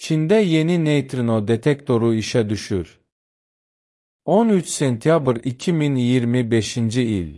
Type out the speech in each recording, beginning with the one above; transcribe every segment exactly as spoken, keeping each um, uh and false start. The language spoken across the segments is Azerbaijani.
Çində yeni neytrino detektoru işə düşür. on üç sentyabr iki min iyirmi beşinci il.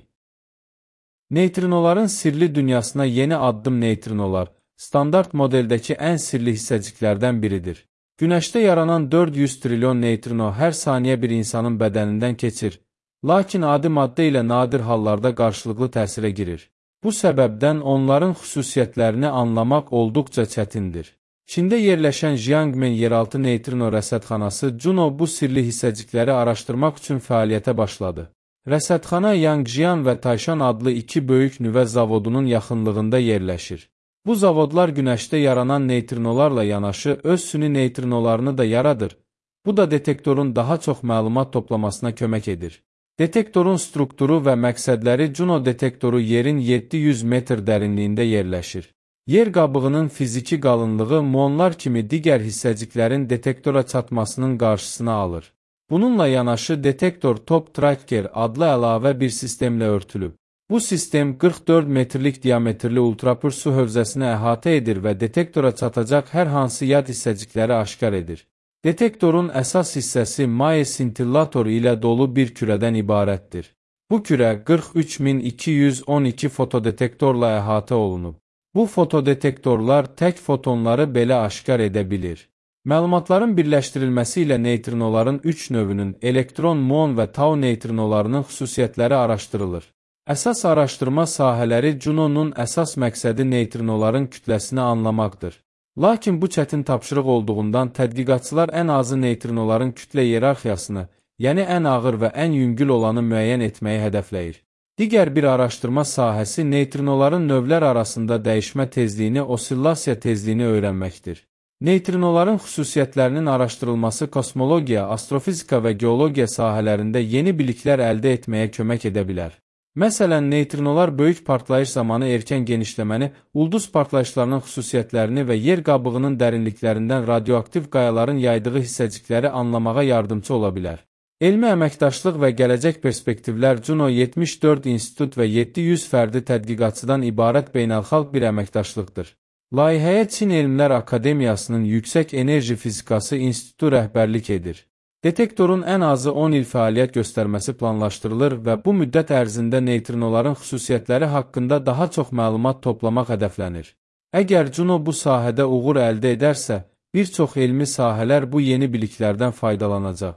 Neytrinoların sirli dünyasına yeni addım. Neytrinolar, standart modeldəki ən sirli hissəciklərdən biridir. Günəşdə yaranan dörd yüz trilyon neytrino hər saniyə bir insanın bədənindən keçir, lakin adi maddə ilə nadir hallarda qarşılıqlı təsirə girir. Bu səbəbdən onların xüsusiyyətlərini anlamaq olduqca çətindir. Çində yerləşən Jiangmen yeraltı neytrino rəsədxanası Juno bu sirli hissəcikləri araşdırmaq üçün fəaliyyətə başladı. Rəsədxana Yangjian və Taishan adlı iki böyük nüvə zavodunun yaxınlığında yerləşir. Bu zavodlar günəşdə yaranan neytrinolarla yanaşı öz süni neytrinolarını da yaradır. Bu da detektorun daha çox məlumat toplamasına kömək edir. Detektorun strukturu və məqsədləri. Juno detektoru yerin yeddi yüz metr dərinliyində yerləşir. Yer qabığının fiziki qalınlığı muonlar kimi digər hissəciklərin detektora çatmasının qarşısını alır. Bununla yanaşı detektor Top Tracker adlı əlavə bir sistemlə örtülüb. Bu sistem qırx dörd metrlik diametrli ultrapür su hövzəsini əhatə edir və detektora çatacaq hər hansı yad hissəcikləri aşkar edir. Detektorun əsas hissəsi maye sintillatoru ilə dolu bir kürədən ibarətdir. Bu kürə qırx üç min iki yüz on iki fotodetektorla əhatə olunub. Bu fotodetektorlar tək fotonları belə aşkar edə bilir. Məlumatların birləşdirilməsi ilə neytrinoların üç növünün elektron, muon və tau neytrinolarının xüsusiyyətləri araşdırılır. Əsas araşdırma sahələri. Juno'nun əsas məqsədi neytrinoların kütləsini anlamaqdır. Lakin bu çətin tapşırıq olduğundan tədqiqatçılar ən azı neytrinoların kütlə iyerarxiyasını, yəni ən ağır və ən yüngül olanı müəyyən etməyi hədəfləyir. Digər bir araşdırma sahəsi neytrinoların növlər arasında dəyişmə tezliyini, osillasiya tezliyini öyrənməkdir. Neytrinoların xüsusiyyətlərinin araşdırılması kosmologiya, astrofizika və geologiya sahələrində yeni biliklər əldə etməyə kömək edə bilər. Məsələn, neytrinolar böyük partlayış zamanı erkən genişləməni, ulduz partlayışlarının xüsusiyyətlərini və yer qabığının dərinliklərindən radioaktiv qayaların yaydığı hissəcikləri anlamağa yardımcı ola bilər. Elmi əməkdaşlıq və gələcək perspektivlər. Juno yetmiş dörd institut və yeddi yüz fərdi tədqiqatçıdan ibarət beynəlxalq bir əməkdaşlıqdır. Layihəyə Çin Elmlər Akademiyasının Yüksək Enerji Fizikası İnstitutu rəhbərlik edir. Detektorun ən azı on il fəaliyyət göstərməsi planlaşdırılır və bu müddət ərzində neytrinoların xüsusiyyətləri haqqında daha çox məlumat toplamaq hədəflənir. Əgər Juno bu sahədə uğur əldə edərsə, bir çox elmi sahələr bu yeni biliklərdən faydalanacaq.